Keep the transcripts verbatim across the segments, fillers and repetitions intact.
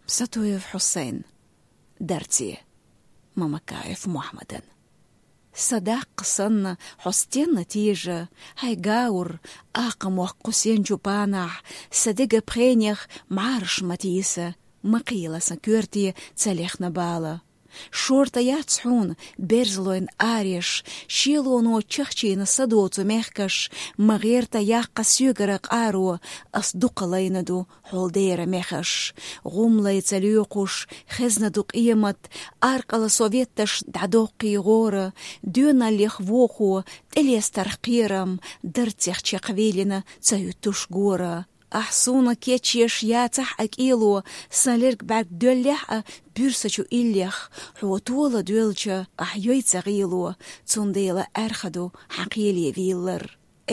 Сатуев Хьусайн. Дарце. Мамакаев Мухьмадан. Са даккха санна хьо стенна тежа, хьай гаур, акха мохк кху сенчу панахь, са дега пхенех мӀараш ма тийса, ма кхийла сан коьрте ца лехна бала. Шорта яц хьуна берзалойн ареш, шелоно чахчийна са доцу мехкаш, ма гӀерта яккха соьгара къаро, ас дукха лайна ду хьол дера мехаш. ГӀум лайца лоькхуш, хезна ду къемат, аркъала советташ дӀадоккхий гӀора, доьналлех вохо, тӀелестарх кхерам, дарцех чекхвеллина ца хӀуьттуш гора. Ахь суна кечъеш яцахь а кӀело, сан лерг бӀаьрг доьллехь а буьрсачу иллех, хьо тола доьлча, ахь йой ца гӀело, цундела аьрха ду хьан кхеле вийлар.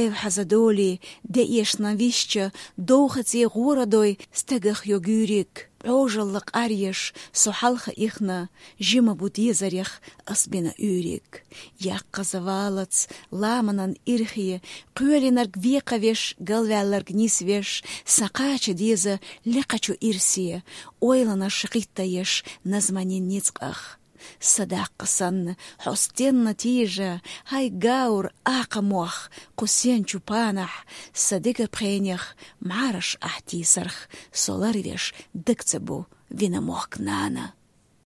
Эвхьаза долий, де эшна висча, довхаце гӀора дой стагах йо гуьйриг, Ӏожалла къаръеш, со хьалха ихна, жима бу дезарех ас бина уьйриг. Яккхаза валац ламанан ирхе, кхоьлинарг векхавеш, галваьлларг нисвеш, сан кхача деза лекхачу ирсе, ойланаш гӀиттаеш назманин ницкъах. Са даккха санна хьо стенна тежа, хьай гаур, акха мох кху сенчу панахь, са дега пхенех мӀараш ахь тийсарх, со ларвеш даг ца бу вина мохк нана.